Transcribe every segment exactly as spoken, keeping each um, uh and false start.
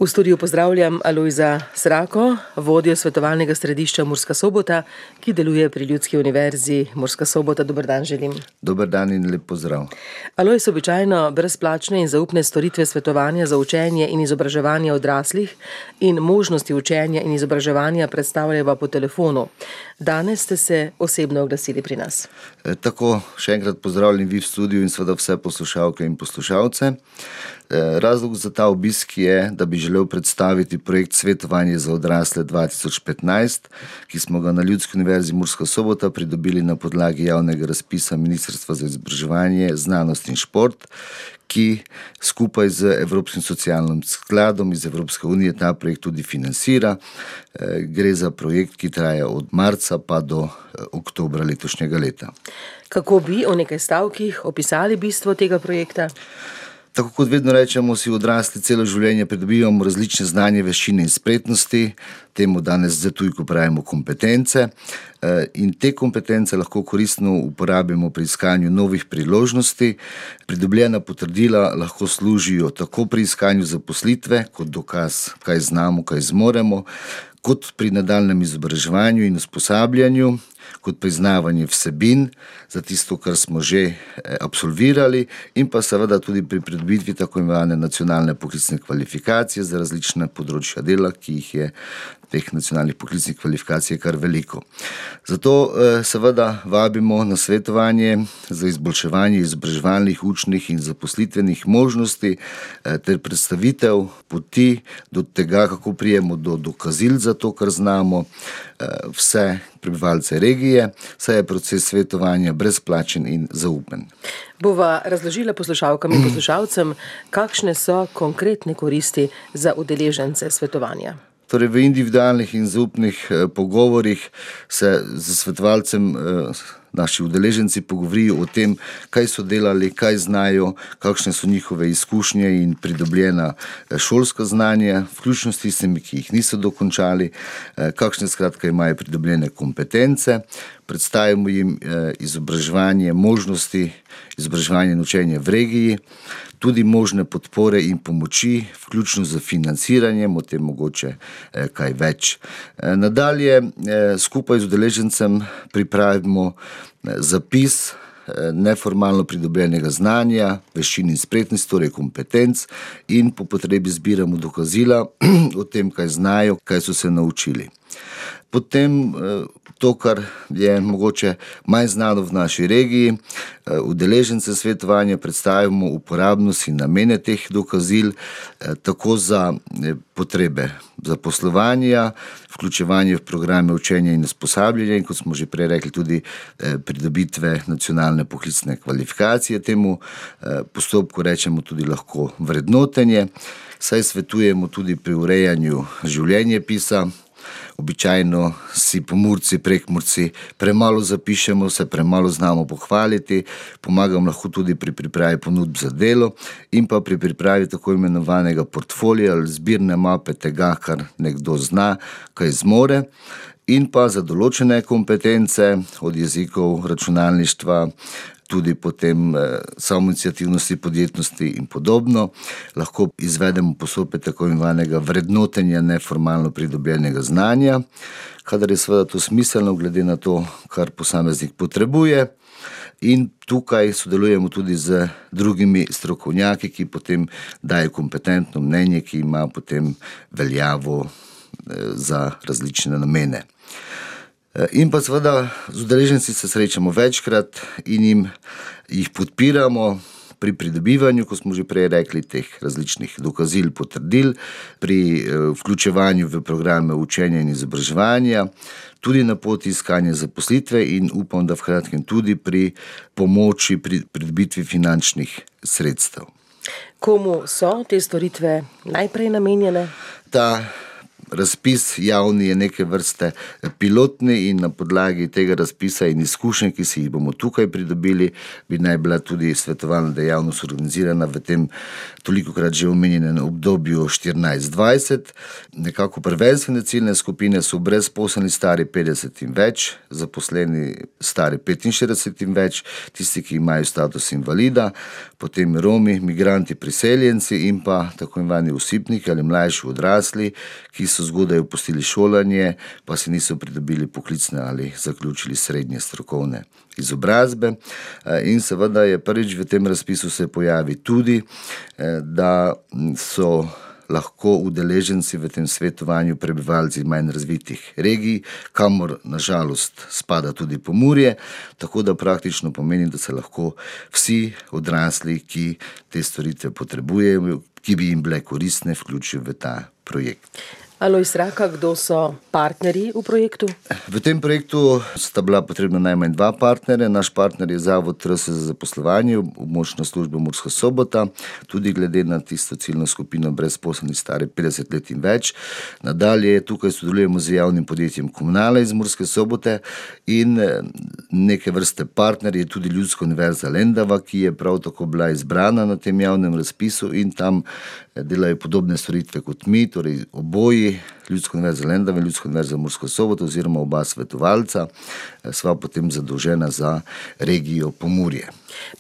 V studiu pozdravljam Alojza Srako, vodjo svetovalnega središča Murska Sobota, ki deluje pri Ljudski univerzi Murska Sobota. Dober dan želim. Dober dan in lep pozdrav. Alojz, običajno brezplačne in zaupne storitve svetovanja za učenje in izobraževanje odraslih in možnosti učenja in izobraževanja predstavljava po telefonu. Danes ste se osebno oglasili pri nas. E, tako, še enkrat pozdravljam vi v studiu in seveda vse poslušalke in poslušalce. Razlog za ta obisk je, da bi želel predstaviti projekt Svetovanje za odrasle dva tisoč petnajst, ki smo ga na Ljudski univerzi Murska Sobota pridobili na podlagi javnega razpisa Ministrstva za izobraževanje, znanost in šport, ki skupaj z Evropskim socialnim skladom iz Evropske unije ta projekt tudi financira. Gre za projekt, ki traja od marca pa do oktobra letošnjega leta. Kako bi o nekaj stavkih opisali bistvo tega projekta? Tako kot vedno rečemo, si odrasli celo življenje pridobivamo različne znanje, veščine in spretnosti, temu danes za tujko pravimo kompetence, in te kompetence lahko koristno uporabimo pri iskanju novih priložnosti. Pridobljena potrdila lahko služijo tako pri iskanju zaposlitve, kot dokaz, kaj znamo, kaj zmoremo, kot pri nadaljnjem izobraževanju in usposabljanju, kot priznavanje vsebin za tisto, kar smo že absolvirali, in pa seveda tudi pri pridobitvi tako imenovane nacionalne poklicne kvalifikacije za različne področja dela, ki jih je teh nacionalnih poklicnih kvalifikacij kar veliko. Zato seveda vabimo na svetovanje za izboljševanje izobraževalnih, učnih in zaposlitvenih možnosti ter predstavitev poti do tega, kako prijemo do dokazil za to, kar znamo, vse prebivalce regije, saj je proces svetovanja brezplačen in zaupen. Bova razložila poslušalkam in poslušalcem, kakšne so konkretne koristi za udeležence svetovanja. Torej, v individualnih in zaupnih pogovorih se z svetovalcem naši udeleženci pogovorijo o tem, kaj so delali, kaj znajo, kakšne so njihove izkušnje in pridobljena šolska znanja, vključno s tistimi, ki jih niso dokončali, kakšne skratka imajo pridobljene kompetence. Predstavimo jim izobraževanje, možnosti izobraževanja in učenja v regiji, tudi možne podpore in pomoči, vključno z financiranjem, o tem mogoče kaj več. Nadalje skupaj z udeležencem pripravimo zapis neformalno pridobljenega znanja, veščin in spretnosti, torej kompetenc, in po potrebi zbiramo dokazila o tem, kaj znajo, kaj so se naučili. Potem to, kar je mogoče manj znano v naši regiji, udeležence svetovanja predstavimo uporabnost in namene teh dokazil, tako za potrebe zaposlovanja, vključevanje v programe učenja in usposabljanja in, kot smo že prej rekli, tudi pridobitve nacionalne poklicne kvalifikacije. Temu postopku rečemo tudi lahko vrednotenje, saj svetujemo tudi pri urejanju življenjepisa. Običajno si Pomurci, Prekmurci premalo zapišemo, se premalo znamo pohvaliti, pomagam lahko tudi pri pripravi ponudb za delo in pa pri pripravi tako imenovanega portfolija ali zbirne mape tega, kar nekdo zna, kaj zmore, in pa za določene kompetence od jezikov, računalništva, tudi potem samoiniciativnosti, podjetnosti in podobno, lahko izvedemo postopek tako imenovanega vrednotenja neformalno pridobljenega znanja, kadar je seveda to smiselno glede na to, kar posameznik potrebuje. In tukaj sodelujemo tudi z drugimi strokovnjaki, ki potem dajo kompetentno mnenje, ki ima potem veljavo za različne namene. In pa seveda z udeleženci se srečamo večkrat in jim jih podpiramo pri pridobivanju, kot smo že prej rekli, teh različnih dokazil, potrdil, pri vključevanju v programe učenja in izobraževanja, tudi na poti iskanja zaposlitve in upam, da v kratkem tudi pri pomoči pri pridobitvi finančnih sredstev. Komu so te storitve najprej namenjene? Ta razpis javni je neke vrste pilotni in na podlagi tega razpisa in izkušenj, ki si jih bomo tukaj pridobili, bi naj bila tudi svetovalna dejavnost organizirana v tem tolikokrat že omenjenem obdobju štirinajst dvajset. Nekako prvenstvene ciljne skupine so brezposelni stari petdeset in več, zaposleni stari petinštirideset in več, tisti, ki imajo status invalida, potem Romi, migranti, priseljenci in pa tako imenovani osipniki ali mlajši odrasli, ki so zgodaj opustili šolanje, pa si niso pridobili poklicne ali zaključili srednje strokovne izobrazbe. In seveda je prvič v tem razpisu se pojavi tudi, da so lahko udeleženci v tem svetovanju prebivalci manj razvitih regij, kamor na žalost spada tudi Pomurje, tako da praktično pomeni, da se lahko vsi odrasli, ki te storitve potrebujejo, ki bi jim bile koristne, vključijo v ta projekt. Alojz Raka, kdo so partnerji v projektu? V tem projektu sta bila potrebna najmanj dva partnerja. Naš partner je Zavod R S za zaposlovanje, območna služba Murska Sobota, tudi glede na tisto ciljno skupino brezposelnih stari petdeset let in več. Nadalje tukaj sodelujemo z javnim podjetjem Komunala iz Murske Sobote in neke vrste partner je tudi Ljudska univerza Lendava, ki je prav tako bila izbrana na tem javnem razpisu in tam delajo podobne storitve kot mi, torej oboji, Ljudska univerza Lendava in Ljudska univerza Murska Sobota oziroma oba svetovalca, sva potem zadolžena za regijo Pomurje.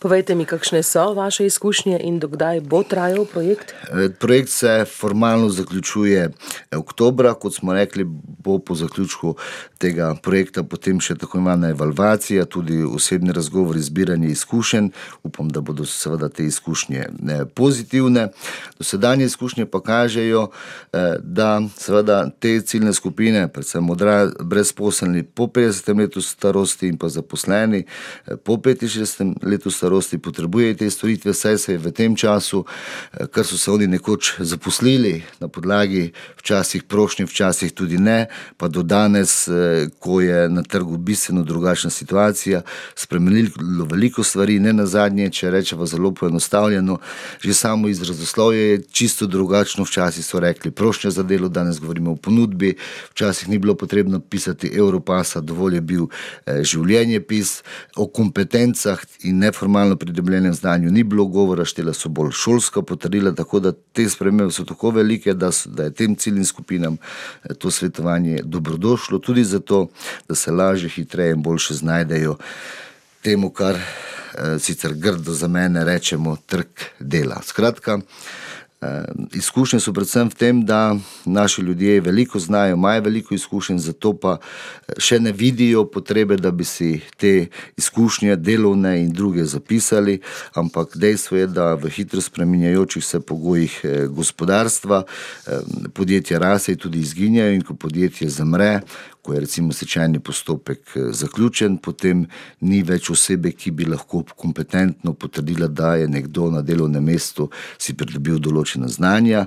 Povejte mi, kakšne so vaše izkušnje in do kdaj bo trajal projekt? Projekt se formalno zaključuje oktobra, kot smo rekli, bo po zaključku tega projekta potem še tako imenovana evalvacija, tudi osebni razgovor, zbiranje izkušenj. Upam, da bodo seveda te izkušnje pozitivne. Dosedanje izkušnje pa kažejo, da seveda te ciljne skupine, predvsem brezposelni po petdesetem letu starosti in pa zaposleni po petinšestdesetem letu starosti potrebujejo te storitve, saj se je v tem času, kar so se oni nekoč zaposlili na podlagi včasih prošnje, včasih tudi ne, pa do danes, ko je na trgu bistveno drugačna situacija, spremenilo veliko stvari, ne nazadnje, če rečemo zelo poenostavljeno, že samo izrazoslovje je čisto drugačno, včasih so rekli prošnja za delo, danes govorimo o ponudbi, včasih ni bilo potrebno pisati Europasa, dovolj je bil življenjepis, o kompetencah in neformalno pridobljenem znanju ni bilo govora, štela so bolj šolska potrdila, tako da te spremembe so tako velike, da, so, da je tem ciljnim skupinam to svetovanje dobrodošlo, tudi zato, da se lažje, hitreje in boljše znajdejo temu, kar eh, sicer grdo za mene rečemo trg dela. Skratka, izkušnje so predvsem v tem, da naši ljudje veliko znajo, imajo veliko izkušenj, zato pa še ne vidijo potrebe, da bi si te izkušnje delovne in druge zapisali, ampak dejstvo je, da v hitro spreminjajočih se pogojih gospodarstva podjetja raste in tudi izginjajo in ko podjetje zamre, ko je recimo stečajni postopek zaključen, potem ni več osebe, ki bi lahko kompetentno potrdila, da je nekdo na delovnem mestu si pridobil določena znanja.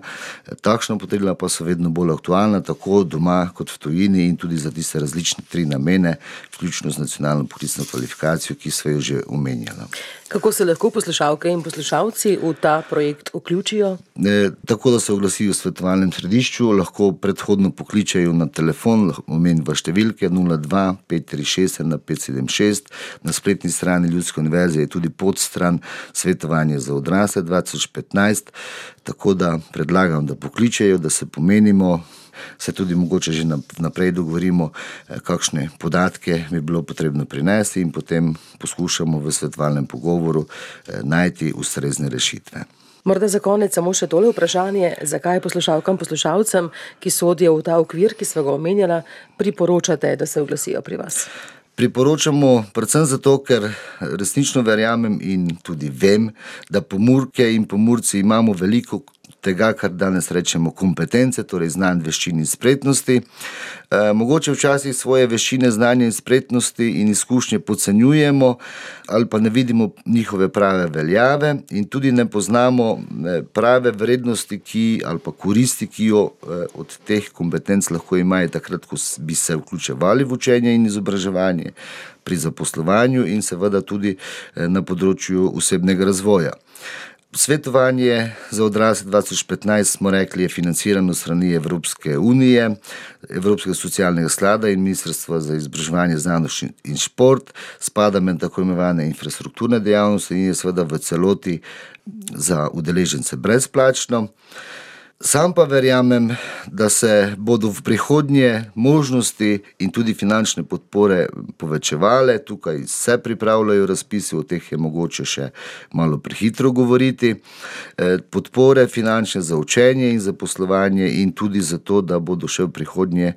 Takšna potrdila pa so vedno bolj aktualna, tako doma kot v tujini in tudi za tiste različne tri namene, vključno z nacionalno poklicno kvalifikacijo, ki sva jo že omenjala. Kako se lahko poslušalke in poslušalci v ta projekt vključijo? E, tako, da se oglasijo v svetovalnem središču, lahko predhodno pokličejo na telefon, omenim v številke nula dva pet tri šest ena pet sedem šest, na spletni strani Ljudske univerze je tudi podstran svetovanje za odrasle dva tisoč petnajst, tako da predlagam, da pokličejo, da se pomenimo, se tudi mogoče že naprej dogovorimo, kakšne podatke bi bilo potrebno prinesti in potem poskušamo v svetovalnem pogovoru najti ustrezne rešitve. Morda za konec samo še tole vprašanje, zakaj poslušalkam, poslušalcem, ki sodijo v ta okvir, ki sva ga omenjala, priporočate, da se oglasijo pri vas? Priporočamo predvsem zato, ker resnično verjamem in tudi vem, da Pomurke in Pomurci imamo veliko tega, kar danes rečemo kompetence, torej znanj, veščin in spretnosti. E, mogoče včasih svoje veščine, znanje in spretnosti in izkušnje podcenjujemo ali pa ne vidimo njihove prave veljave in tudi ne poznamo prave vrednosti, ki, ali pa koristi, ki jo od teh kompetenc lahko imajo takrat, ko bi se vključevali v učenje in izobraževanje, pri zaposlovanju in seveda tudi na področju osebnega razvoja. Svetovanje za odrasle dva tisoč petnajst, smo rekli, je financirano strani Evropske unije, Evropskega socialnega sklada in Ministrstva za izobraževanje, znanost in šport, spada med tako imenovane infrastrukturne dejavnosti in je seveda v celoti za udeležence brezplačno. Sam pa verjamem, da se bodo v prihodnje možnosti in tudi finančne podpore povečevale. Tukaj se pripravljajo razpisi, o teh je mogoče še malo prehitro govoriti. Podpore finančne za učenje in zaposlovanje in tudi za to, da bodo še v prihodnje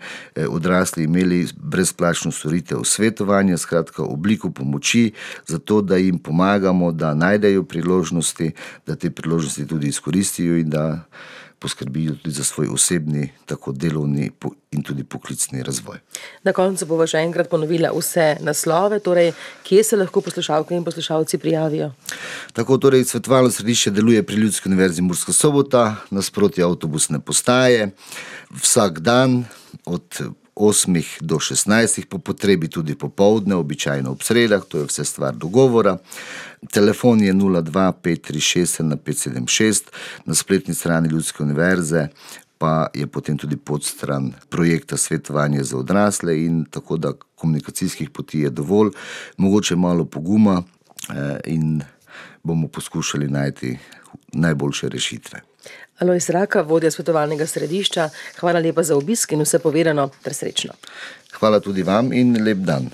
odrasli imeli brezplačno storitev svetovanja, skratka obliko pomoči, zato da jim pomagamo, da najdejo priložnosti, da te priložnosti tudi izkoristijo in da poskrbijo tudi za svoj osebni, tako delovni in tudi poklicni razvoj. Na koncu bova še enkrat ponovila vse naslove, torej kje se lahko poslušalke in poslušalci prijavijo? Tako, torej svetovalno središče deluje pri Ljudski univerzi Murska Sobota, nasproti avtobusne postaje, vsak dan od osmih do šestnajstih, po potrebi tudi popoldne, običajno ob sredah, to je vse stvar dogovora. Telefon je nula dva pet tri šest ena pet sedem šest, na spletni strani Ljudske univerze pa je potem tudi podstran projekta Svetovanje za odrasle in tako da komunikacijskih poti je dovolj, mogoče malo poguma in bomo poskušali najti najboljše rešitve. Alojz Raka, vodja svetovalnega središča, hvala lepa za obisk in vse povedano ter srečno. Hvala tudi vam in lep dan.